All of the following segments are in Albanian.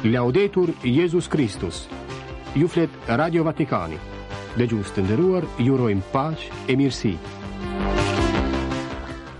Laudetur Jezus Kristus. Ju flet Radio Vatikani. Dëgjues të nderuar, ju urojmë paqe e mirësi.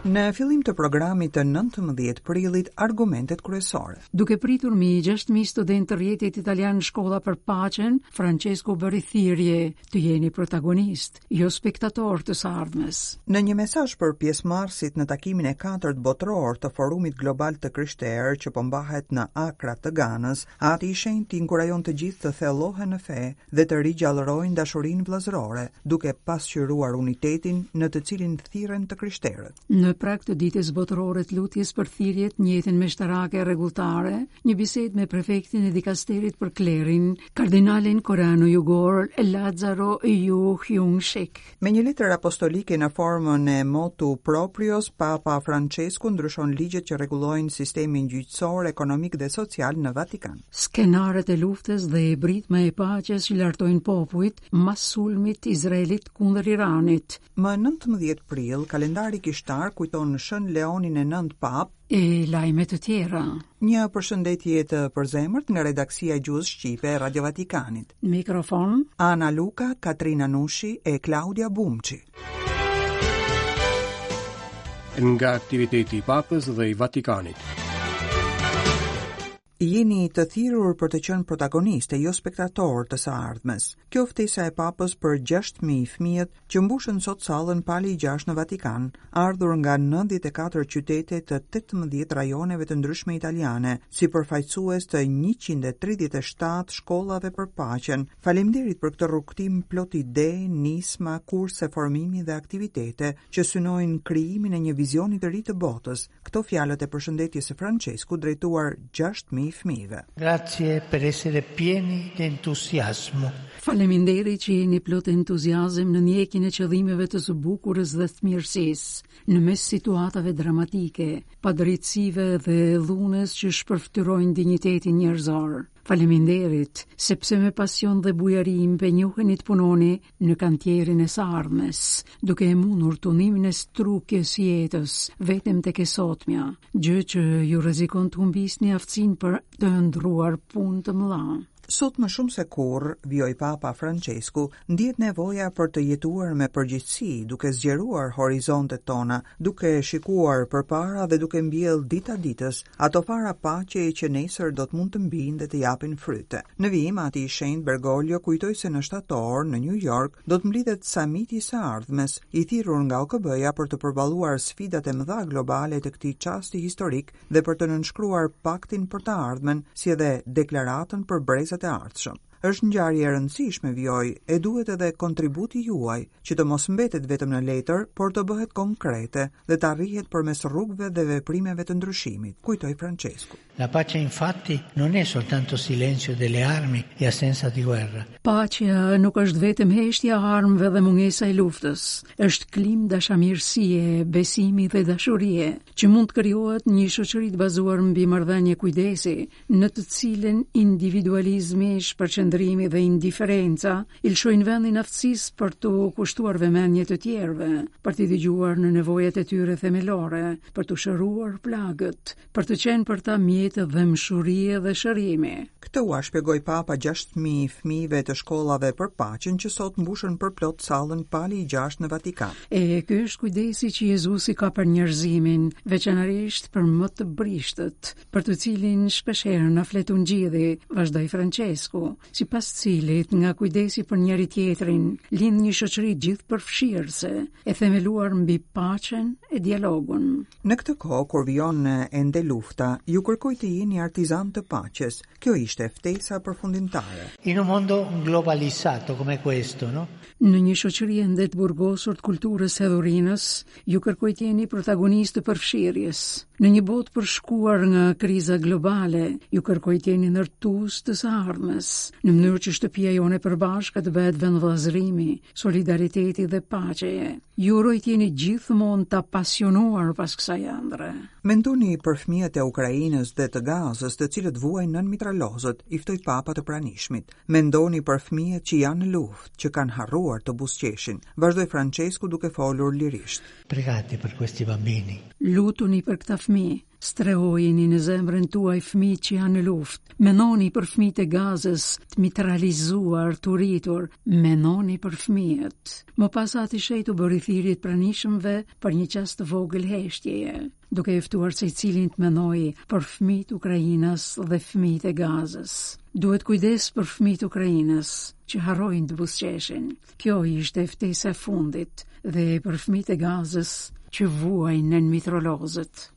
Në fillim të programit të 19 prillit, argumentet kryesore. Duke pritur mbi 6000 studentë të rrjetit italian Shkolla për Paqen, Francesku bëri thirrje të jeni protagonistë, jo spektatorë të së ardhmes. Në një mesazh për pjesëmarrësit në takimin e katërt botëror të Forumit Global të Krishterë që po mbahet në Akra të Ganës, Ati i Shenjtë inkurajon të gjithë të thellohen në fe dhe të rigjallërojnë dashurinë vëllazërore, duke pasqyruar unitetin në të cilin thirren të krishterët. Në prag të ditës botërore të lutjes për thirrjet në jetën meshtarake e rregulltare, një bisedë me prefektin e dikasterit për klerin, kardinalin koreano-jugor Lazaro Ju Hyung-shik. Me një letër apostolike në formën e motu proprios, Papa Francesku ndryshon ligjet që rregullojnë sistemin gjyqësor, ekonomik dhe social në Vatikan. Skenarët e luftës dhe britma e paqes që lartojnë popujt mas sulmit izraelit kundër Iranit. Më 19 prill, kalendari kishtar kujton Shën Leonin e Nëntë Papë, e lajme të tjera. Një përshëndetje të përzemërt nga redaksia e gjuhës shqipe e Radio Vatikanit. Mikrofon Ana Luka, Katrina Nushi e Klaudia Bumçi. Nga aktiviteti i Papës dhe i Vatikanit. Jeni të thirrur për të qenë protagonistë e jo spektatorë të së ardhmes. Kjo ftesa e Papës për 6000 fëmijët që mbushën sot sallën Pali i Gjashtë në Vatikan, ardhur nga 94 qytete të 18 rajoneve të ndryshme italiane, si përfaqësues të 137 shkollave për paqen. Faleminderit për këtë rrugëtim plot ide, nisma, kurse formimi dhe aktivitete që synojnë krijimin e një vizioni të ri të botës, Këto fjalët e përshëndetjes së Françeskut drejtuar 6000 fëmijëve. Grazie per essere pieni di entusiasmo. Faleminderit që jeni plot entuziazëm në ndjekjen e qëllimeve të së bukurës dhe të mirësisë, në mes situatave dramatike, padrejtësive dhe dhunës që shpërfytyrojnë dinjitetin njerëzor. Faleminderit, sepse me pasion dhe bujari impenjoheni të punoni në kantierin e së ardhmes, duke e mundur tundimin e strukjes së jetës vetëm tek e sotmja, gjë që ju rrezikon të humbisni aftësinë për të ëndërruar punë të mëdha. Sot më shumë se kurrë, vijoi Papa Françesku, ndihet nevoja për të jetuar me përgjegjësi, duke zgjeruar horizontet tona, duke shikuar përpara dhe duke mbjellë dita ditës ato fara paqeje që nesër do të mund të mbijnë dhe të japin fryte. Në vijim, Ati i Shenjtë Bergoglio kujtoi se në shtator, në New York, do të mblidhet Samiti i së ardhmes, i thirrur nga OKB-ja për të përballuar sfidat e mëdha globale të këtij çasti historik dhe për të nënshkruar Paktin për të ardhmen, si edhe Deklaratën për brezat e ardhshëm. Është ngjarje e rëndësishme, vijoi, e duhet edhe kontributi juaj, që të mos mbetet vetëm në letër, por të bëhet konkrete dhe të arrihet përmes rrugëve dhe veprimeve të ndryshimit, kujtoi Françesku. La pace infatti non è soltanto silenzio delle armi e assenza di guerra. Paqja nuk është vetëm heshtja e armëve dhe mungesa e luftës, është klimë dashamirësie, besimi dhe dashurie, që mund të krijohet në një shoqëri të bazuar mbi marrëdhënie kujdesi, në të cilën individualizmi, shpërqendrimi dhe indiferenca i lëshojnë vendin aftësisë për t'u kushtuar vëmendje të tjerëve, për t'i dëgjuar në nevojat e tyre themelore, për t'u shëruar plagët, për të qenë për ta mjet dhembshurie dhe shërimi. Këtë ua shpjegoi Papa 6000 fëmijëve të shkollave për paqen që sot mbushën përplot sallën Pali i Gjashtë në Vatikan. E ky është kujdesi që Jezusi ka për njerëzimin, veçanërisht për më të brishtët, për të cilin shpeshherë na flet Ungjilli, vazhdoi Françesku, sipas të cilit nga kujdesi për njëri-tjetrin lind një shoqëri gjithëpërfshirëse, e themeluar mbi paqen e dialogun. Në këtë kohë, kur vijon ende lufta, ju kërkoj të jeni artizanë të paqes. Kjo ishte ftesa përfundimtare. In un mondo globalizzato come questo, no? Në një shoqëri ende të burgosur të kulturës së hedhurinës, ju kërkoj të jeni protagonistë të përfshirjes. Në një botë përshkuar nga kriza globale, ju kërkoj të jeni ndërtues të së ardhmes, në mënyrë që shtëpia jonë e përbashkët të bëhet vend vëllazërimi, solidariteti dhe paqeje. Ju uroj të jeni gjithmonë të apasionuar pas kësaj ëndrre. Mendoni për fëmijët e Ukrainës dhe të Gazës, të cilët vuajnë nën mitralozët, i ftoi Papa të pranishmit. Mendoni për fëmijët që janë në luftë, që kanë harruar të buzëqeshin, vazhdoi Françesku duke folur lirisht. Pregate per questi bambini. Lutuni për këta fëmijë. Strehojini në zemrën tuaj fëmijët që janë në luftë. Mendoni për fëmijët e Gazës, të mitralizuar, të uritur. Mendoni për fëmijët. Më pas Ati i Shenjtë u bëri thirrje të pranishmëve për një çast të vogël heshtjeje, duke e ftuar secilin të mendojë për fëmijët ukrainas dhe fëmijët e Gazës. Duhet kujdes për fëmijët ukrainas që harrojnë të buzëqeshin. Kjo ishte ftesa e fundit dhe për fëmijët e Gazës që vuajnë nën mitrolozët.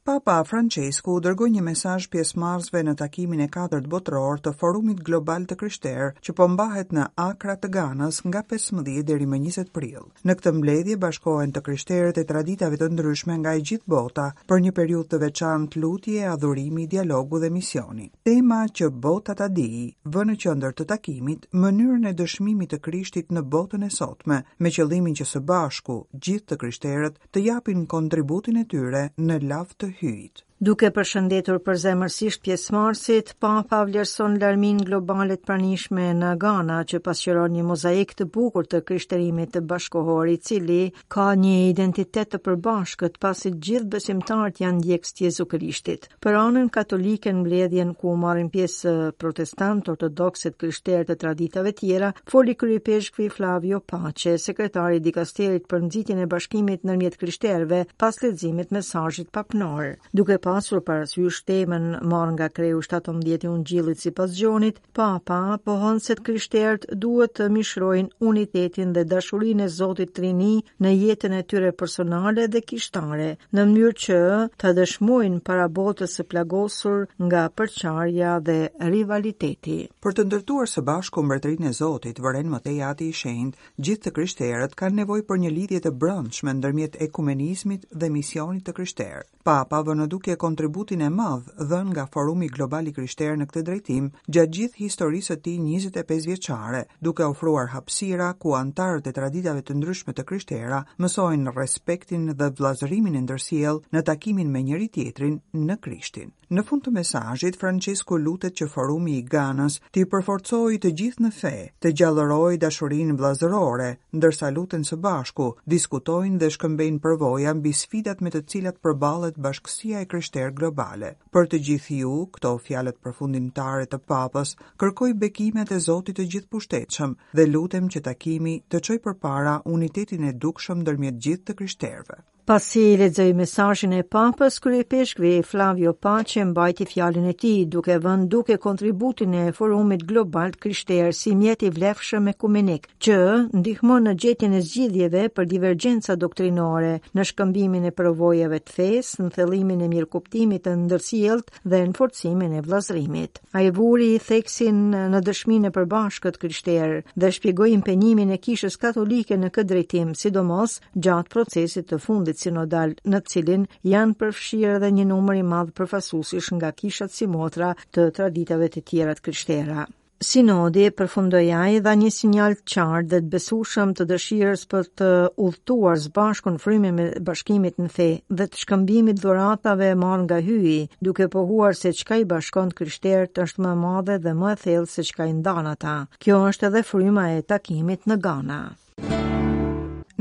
Papa Françesku u dërgoi një mesazh pjesëmarrësve në takimin e katërt botëror të Forumit Global të Krishterë, që po mbahet në Akra të Ganës nga 15 deri më 20 prill. Në këtë mbledhje bashkohen të krishterët e traditave të ndryshme nga e gjithë bota për një periudhë të veçantë lutje, adhurimi, dialogu dhe misioni. Tema që bota ta dijë, vë në qendër të takimit mënyrën e dëshmimit të Krishtit në botën e sotme, me qëllimin që së bashku gjithë të krishterët të japin kontributin e tyre në lavd të Hyjit. Duke përshëndetur përzemërsisht pjesëmarrësit, Papa vlerëson larminë globale të pranishme në Gana, që pasqyron një mozaik të bukur të krishterimit bashkëkohor, i cili ka një identitet të përbashkët, pasi gjithë besimtarët janë ndjekës të Jezu Krishtit. Për anën katolike në mbledhjen ku marrin pjesë protestantë, ortodoksë e të krishterë të traditave tjera, foli kryeipeshkvi Flavio Pace, sekretari i dikasterit për nxitjen e bashkimit ndërmjet krishterëve pas leximit mesazhit papnor. Duke pasur parasysh temën marrë nga kreu 17 i Ungjillit sipas Gjonit, Papa pohon se të krishterët duhet të mishërojnë unitetin dhe dashurinë e Zotit Trini në jetën e tyre personale dhe kishtare, në mënyrë që të dëshmojnë para botës së plagosur nga përçarja dhe rivaliteti. Për të ndërtuar së bashku mbretërinë e Zotit, vëren më tej Ati i Shenjtë, gjithë të krishterët kanë nevojë për një lidhje të brendshme ndërmjet ekumenizmit dhe misionit të krishterë. Papa vë në dukje kontributin e madh dhënë nga Forumi Global i Krishterë në këtë drejtim gjatë gjithë historisë së tij 25 vjeçare, duke ofruar hapësira ku anëtarët e traditave të ndryshme të krishtera mësojnë respektin dhe vëllazërimin e ndërsjellë në takimin me njëri-tjetrin në Krishtin. Në fund të mesazhit, Françesku lutet që Forumi i Ganës t'i përforcojë të gjithë në fe, të gjallërojë dashurinë vëllazërore, ndërsa luten së bashku, diskutojnë dhe shkëmbejnë përvoja mbi sfidat me të cilat përballet bashkësia e krishterë globale. Për të gjithë ju, këto fjalët përfundimtare të Papës, kërkoj bekimet e Zotit të Gjithëpushtetshëm dhe lutem që takimi të çojë përpara unitetin e dukshëm ndërmjet gjithë të krishterëve. Pasi lexoi mesazhin e Papës, kryeipeshkvi Flavio Pace mbajti fjalën e tij, duke vënë në dukje kontributin e Forumit Global të Krishterë si mjet i vlefshëm ekumenik, që ndihmon në gjetjen e zgjidhjeve për divergjenca doktrinore, në shkëmbimin e përvojave të fesë, në thellimin e mirëkuptimit të ndërsjelltë dhe në forcimin e vëllazërimit. Ai vuri theksin në dëshminë e përbashkët krishterë dhe shpjegoi impenjimin e Kishës Katolike në këtë drejtim, sidomos gjatë procesit të fundit sinodal, në të cilin janë përfshirë edhe një numër i madh përfaqësuesish nga kishat simotra të traditave të tjera të krishtera. Sinodi, përfundoi ai, dha një sinjal të qartë dhe të besueshëm të dëshirës për të udhëtuar së bashku në frymën e bashkimit në fe dhe të shkëmbimit dhuratave marrë nga Hyji, duke pohuar se çka i bashkon të krishterët është më e madhe dhe më e thellë se çka i ndan ata. Kjo është edhe fryma e takimit në Gana.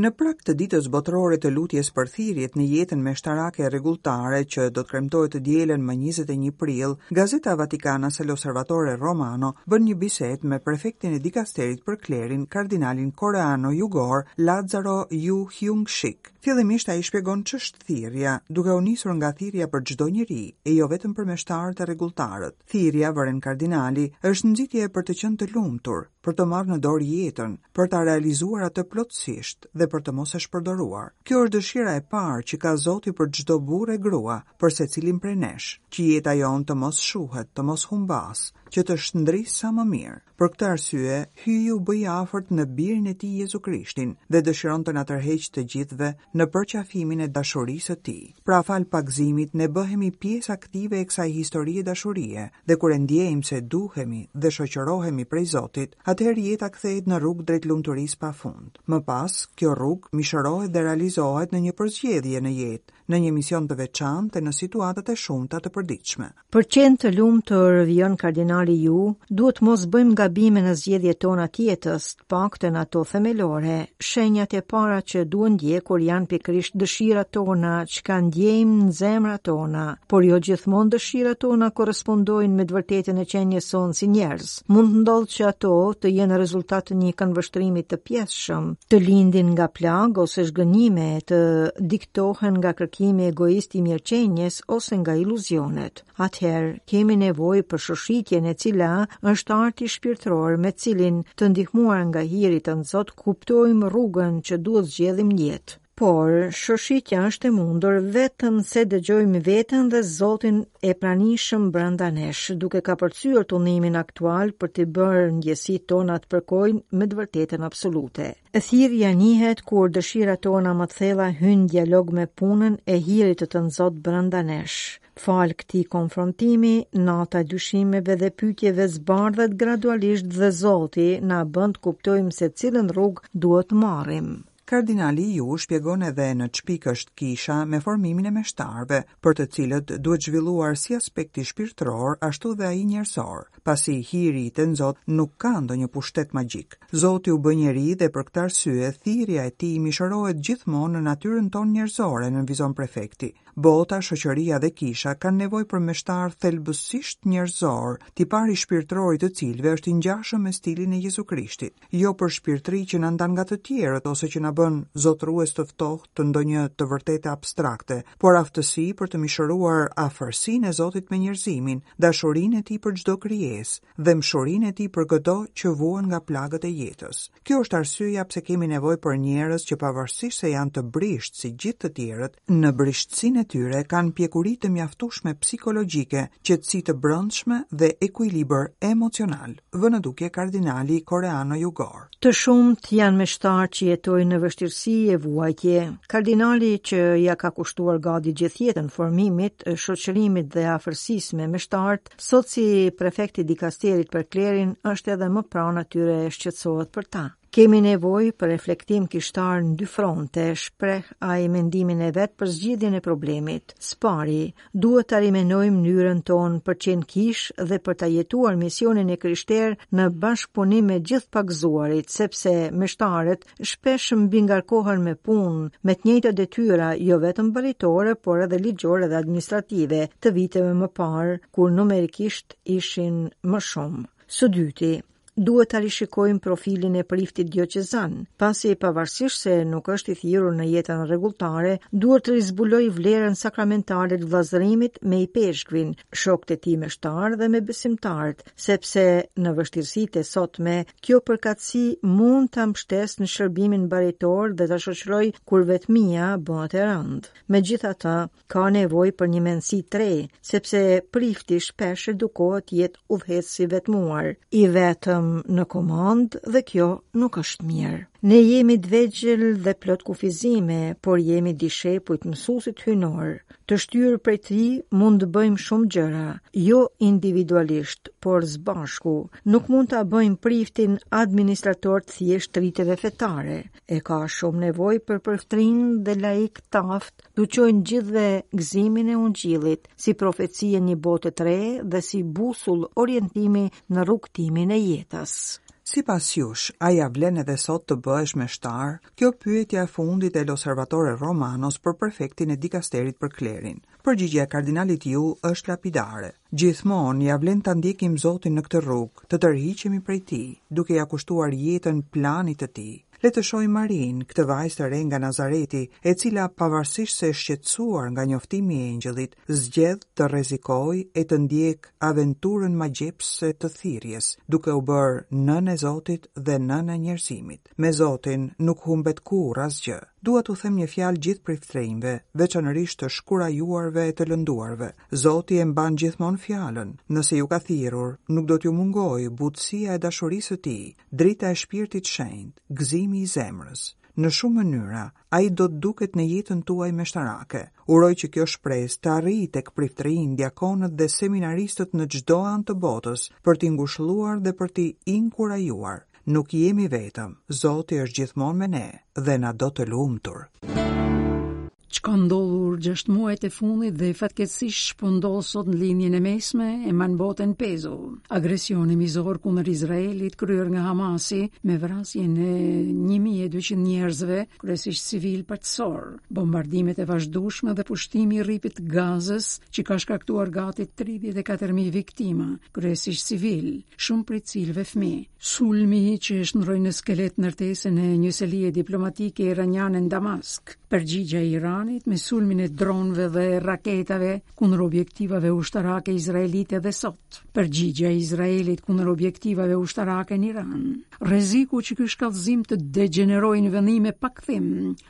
Në prag të Ditës Botërore të Lutjes për Thirrjet në jetën meshtarake e rregulltare që do të kremtohet të dielën më 21 prill, gazeta vatikanase L'Osservatore Romano bën një bisedë me prefektin e dikasterit për klerin, kardinalin koreano-jugor Lazzaro Ju Hyung-shik. Fillimisht ai shpjegon ç'është thirrja, duke u nisur nga thirrja për çdo njeri, e jo vetëm për meshtarët e rregulltarët. Thirrja, vëren kardinali, është nxitje për të qenë të lumtur, për të marrë në dorë jetën, për ta realizuar atë plotësisht dhe për të mos e shpërdoruar. Kjo është dëshira e parë që ka Zoti për çdo burrë e grua, për secilin prej nesh, që jeta jonë të mos shuhet, të mos humbasë, që të shndrisë sa më mirë. Për këtë arsye, Hyji u bë i afërt në Birin e Tij Jezu Krishtin dhe dëshiron të na tërheqë të gjithëve në përqafimin e dashurisë së Tij. Pra falë pagëzimit ne bëhemi pjesë aktive e kësaj historie dashurie dhe kur e ndjejmë se duhemi dhe shoqërohemi prej Zotit, atëherë jeta kthehet në rrugë drejt lumturisë pa fund. Më pas, kjo rrugë mishërohet dhe realizohet në një përzgjedhje në jetë, në një mision të veçantë e në situatat e shumta të përditshme. Për të qenë të lumtur, vijon kardinali Ju, duhet të mos bëjmë gabime në zgjedhjet tona të jetës, të paktën ato themelore. Shenjat e para që duhen ndjekur janë. janë pikërisht dëshirat tona, çka ndjejmë në zemrat tona, por jo gjithmonë dëshirat tona korrespondojnë me të vërtetën e qenies sonë si njerëz. Mund të ndodhë që ato të jenë rezultat të një këndvështrimi të pjesshëm, të lindin nga plagë ose zhgënjime, të diktohen nga kërkimi egoist i mirëqenies ose nga iluzionet. Atëherë, kemi nevojë për shoshitjen e cila është arti shpirtëror me cilin të ndihmuar nga hiri i Tënzot kuptojmë rrugën që duhet zgjedhim në jetë. Por, shoshitja është e mundur vetëm se dëgjojmë veten dhe Zotin e pranishëm brenda nesh, duke kapërcyer tundimin aktual për t'i bërë ndjesitë tona të përkojnë me të vërtetën absolute. Thirrja njihet kur dëshirat tona më të thella hyjnë në dialog me punën e hirit të Tënzot brenda nesh. Falë këtij konfrontimi, nata e dyshimeve dhe pyetjeve zbardhet gradualisht dhe Zoti na bën të kuptojmë se cilën rrugë duhet të marrim. Kardinali Ju shpjegon edhe në ç'pikë është kisha me formimin e meshtarëve, për të cilët duhet zhvilluar si aspekti shpirtëror ashtu dhe ai njerëzor. Pasi hiri i Tënzot nuk ka ndonjë pushtet magjik. Zoti u bë njeri dhe për këtë arsye thirrja e tij mishërohet gjithmonë në natyrën tonë njerëzore, nënvizon prefekti. Bota, shoqëria dhe kisha kanë nevojë për meshtarë thelbësisht njerëzorë, tipari shpirtëror i të cilëve është i ngjashëm me stilin e Jezu Krishtit. Jo për shpirtëri që na ndan nga të tjerët ose që na bën zotërues të ftohtë të ndonjë të vërtete abstrakte, por aftësi për të mishëruar afërsinë e Zotit me njerëzimin, dashurinë e tij për çdo krijesë, dhembshurinë e tij për këdo që vuan nga plagët e jetës. Kjo është arsyeja pse kemi nevojë për njerëz që pavarësisht se janë të brishtë si gjithë të tjerët, në brishtësinë e tyre kanë pjekuri të mjaftueshme psikologjike, qetësi të brendshme dhe ekuilibër emocional, vë në dukje kardinali koreano-jugor. Të shumtë janë meshtarë që jetojnë në vështirësi e vuajtje. Kardinali që ia ka kushtuar gati gjithë jetën formimit, shoqërimit dhe afërsisë me meshtarët, sot si prefekt i dikasterit për klerin është edhe më pranë atyre e shqetësohet për ta. Kemi nevojë për reflektim kishtar në dy fronte, shpreh ai mendimin e vet për zgjidhjen e problemit. Së pari, duhet ta rimenojmë mënyrën tonë për të qenë kishë dhe për ta jetuar misionin e krishterë në bashkëpunim me gjithë pagëzuarit, sepse meshtarët shpesh mbingarkohen me punë, me të njëjtat detyra, jo vetëm baritore, por edhe ligjore dhe administrative, të viteve më parë, kur numerikisht ishin më shumë. Së dyti, duhet ta rishikojmë profilin e priftit dioqezan, pasi pavarësisht se nuk është i thirrur në jetën rregulltare, duhet të rizbulojë vlerën sakramentale të vëllazërimit me ipeshkvin, shokët e tij meshtarë dhe me besimtarët, sepse në vështirësitë e sotme, kjo përkatësi mund ta mbështesë në shërbimin baritor dhe ta shoqërojë kur vetmia bëhet e rëndë. Megjithatë, Ka nevojë për një mendësi të re, sepse prifti shpesh edukohet të jetë udhëheqës i vetmuar, i vetëm në komandë dhe kjo nuk është mirë. Ne jemi të vegjël dhe plot kufizime, por jemi dishepuj të mësuesit hyjnor. Të shtyrë prej tij mund të bëjmë shumë gjëra, jo individualisht, por së bashku. Nuk mund ta bëjmë priftin administrator të thjeshtë të riteve fetare. E ka shumë nevojë për priftërinj dhe laikë të aftë T'u çojnë gjithëve gëzimin e ungjillit, si profeci e një bote të re dhe si busull orientimi në rrugëtimin e jetës. Sipas jush, a ia vlen edhe sot të bëhesh meshtar? Kjo pyetja e fundit e L'Osservatore Romanos për prefektin e dikasterit për klerin. Përgjigjja e kardinalit Ju është lapidare. Gjithmonë ia vlen ta ndjekim Zotin në këtë rrugë, të tërhiqemi prej tij, duke ia kushtuar jetën planit të tij. Le të shohim Marinë, këtë vajzë të re nga Nazareti, e cila pavarësisht se e shqetësuar nga njoftimi i engjëllit, zgjedh të rrezikojë e të ndjekë aventurën magjepsëse të thirrjes, duke u bërë nënë e Zotit dhe nënë e njerëzimit. Me Zotin nuk humbet kurrë asgjë. Dua t'u them një fjalë gjithë priftërinjve, veçanërisht të shkurajuarve e të lënduarve. Zoti e mban gjithmonë fjalën. Nëse ju ka thirrur, nuk do t'ju mungojë butësia e dashurisë së tij, drita e shpirtit shenjt, gëzimi i zemrës. Në shumë mënyra, ai do të duket në jetën tuaj meshtarake. Uroj që kjo shpresë të arrijë tek priftërinjtë, diakonët dhe seminaristët në çdo anë të botës, për t'i ngushëlluar dhe për t'i inkurajuar. Nuk jemi vetëm, Zoti është gjithmonë me ne dhe na do të lumtur. Ç'ka ndodhur 6 muajt e fundit dhe fatkeqësisht ç'po ndodh sot në Lindjen e Mesme e mban botën pezull. Agresioni mizor kundër Izraelit kryer nga Hamasi me vrasjen e 1200 njerëzve, kryesisht civilë paqësorë, bombardimet e vazhdueshme dhe pushtimi i rripit të Gazës që ka shkaktuar gati 34000 viktima, kryesisht civilë, shumë prej të cilëve fëmijë. Sulmi që e shndërroi në skelet ndërtesën e një selie diplomatike iraniane në Damask, përgjigja e Iranit me sulmin e dronëve dhe raketave kundër objektivave ushtarake izraelite dhe sot, përgjigja e Izraelit kundër objektivave ushtarake në Iran. Rreziku që ky shkallëzim të degjenerojë në vendime pa kthim,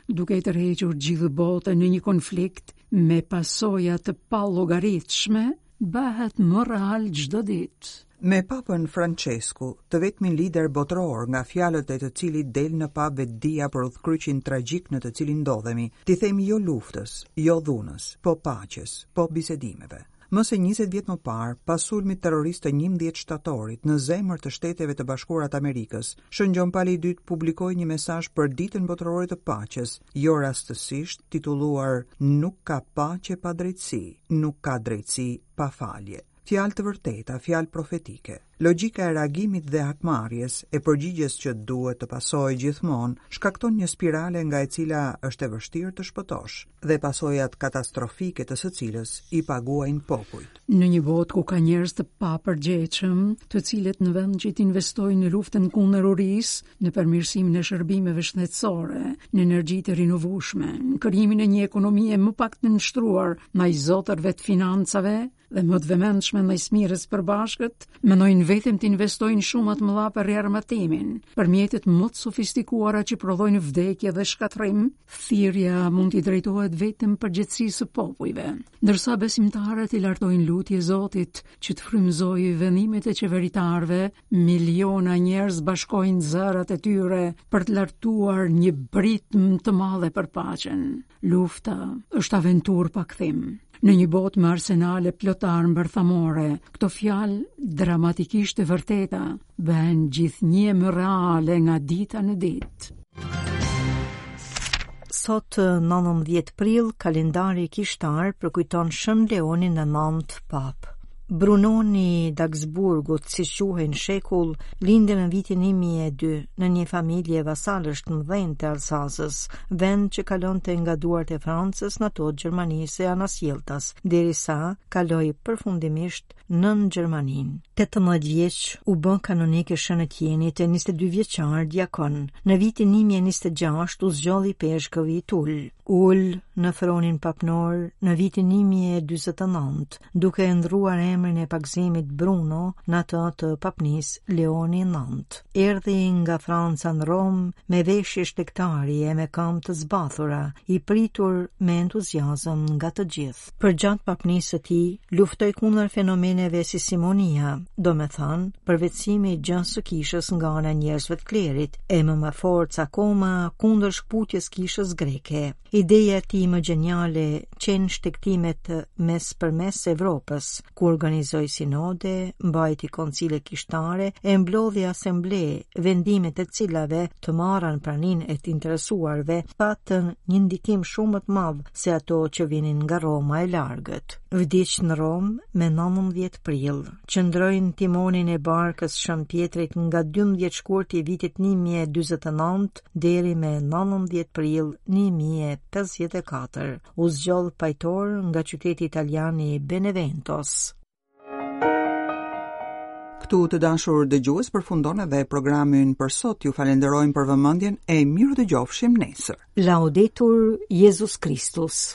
duke e tërhequr gjithë botën në një konflikt me pasoja të pallogaritshme, bëhet më real çdo ditë. Me Papën Françesku, të vetmin lider botëror nga fjalët e të cilit del në pah vetëdija për udhëkryqin tragjik në të cilin ndodhemi, t'i themi jo luftës, jo dhunës, po paqes, po bisedimeve. Më se 20 vjet më parë, pas sulmit terrorist të 11 shtatorit në zemër të Shteteve të Bashkuara të Amerikës, Shën Gjon Pali i II publikoi një mesazh për Ditën Botërore të Paqes, jo rastësisht titulluar Nuk ka paqe pa drejtësi, nuk ka drejtësi pa falje. Fjalë të vërteta, fjalë profetike. Logjika e reagimit dhe hakmarrjes, e përgjigjes që duhet të pasojë gjithmonë, shkakton një spirale nga e cila është e vështirë të shpëtosh dhe pasojat katastrofike të së cilës i paguajnë popujt. Në një botë ku ka njerëz të papërgjegjshëm, të cilët në vend që të investojnë në luftën kundër urisë, në përmirësimin e shërbimeve shëndetësore, në energji të rinovueshme, në krijimin e një ekonomie më pak të nënshtruar ndaj zotërve të financave, dhe më të vëmendshme ndaj së mirës së përbashkët, mendojnë vetëm të investojnë shuma të mëdha për riarmatimin, për mjetet më të sofistikuara që prodhojnë vdekje dhe shkatërrim, thirrja mund t'i drejtohet vetëm përgjegjësisë së popujve. Ndërsa besimtarët i lartojnë lutje Zotit që të frymëzojë vendimet e qeveritarëve, miliona njerëz bashkojnë zërat e tyre për të lartuar një britmë të madhe për paqen. Lufta është aventurë pa kthim. Në një botë me arsenale plot armë bërthamore, këto fjalë dramatikisht të vërteta bëhen gjithnjë më reale nga dita në ditë. Sot 19 prill, kalendari kishtar përkujton Shën Leonin e Nëntë Papë. Brunoni i Dagsburgut, si quhej në shekull, lindi në vitin 1002 në një familje vasalësh të mëdhenj të Alsazës, vend që kalonte nga duart e Francës në ato të Gjermanisë e anasjelltas, derisa kaloi përfundimisht nën Gjermaninë. 18 vjeç u bë kanonik i Shën Etienit e 22 vjeçar diakon. Në vitin 1026 u zgjodh ipeshkëv i Tul. U ul në fronin papnor në vitin 1049, duke e ndrruar emrin e pagëzimit Bruno në atë të papnisë Leoni IX. Erdhi nga Franca në Romë me veshje shtegtari e me këmbë të zbathura, i pritur me entuziazëm nga të gjithë. Përgjatë papnisë së tij, luftoi kundër fenomeneve si simonia, domethënë, përvetësimi i gjësë së kishës nga ana e njerëzve të klerit, e më me forcë akoma kundër shkëputjes kishës greke. Ideja e tij më gjeniale qenë shtegtimet mes për mes Evropës, ku organizoi sinode, mbajti koncile kishtare e mblodhi asemble, vendimet e cilave të marra në praninë e të interesuarve patën një ndikim shumë më të madh se ato që vinin nga Roma e largët. Vdiq në Romë me 19 prill. Qëndroi në timonin e barkës Shën Pjetrit nga 12 shkurti i vitit 1049 deri me 19 prill 1054. U zgjodh pajtor nga qyteti italian i Beneventos. Këtu të dashur dëgjues përfundon edhe programi ynë për sot. Ju falenderojmë për vëmendjen e mirudëgjofshim nesër. Laudetur Jezus Kristus.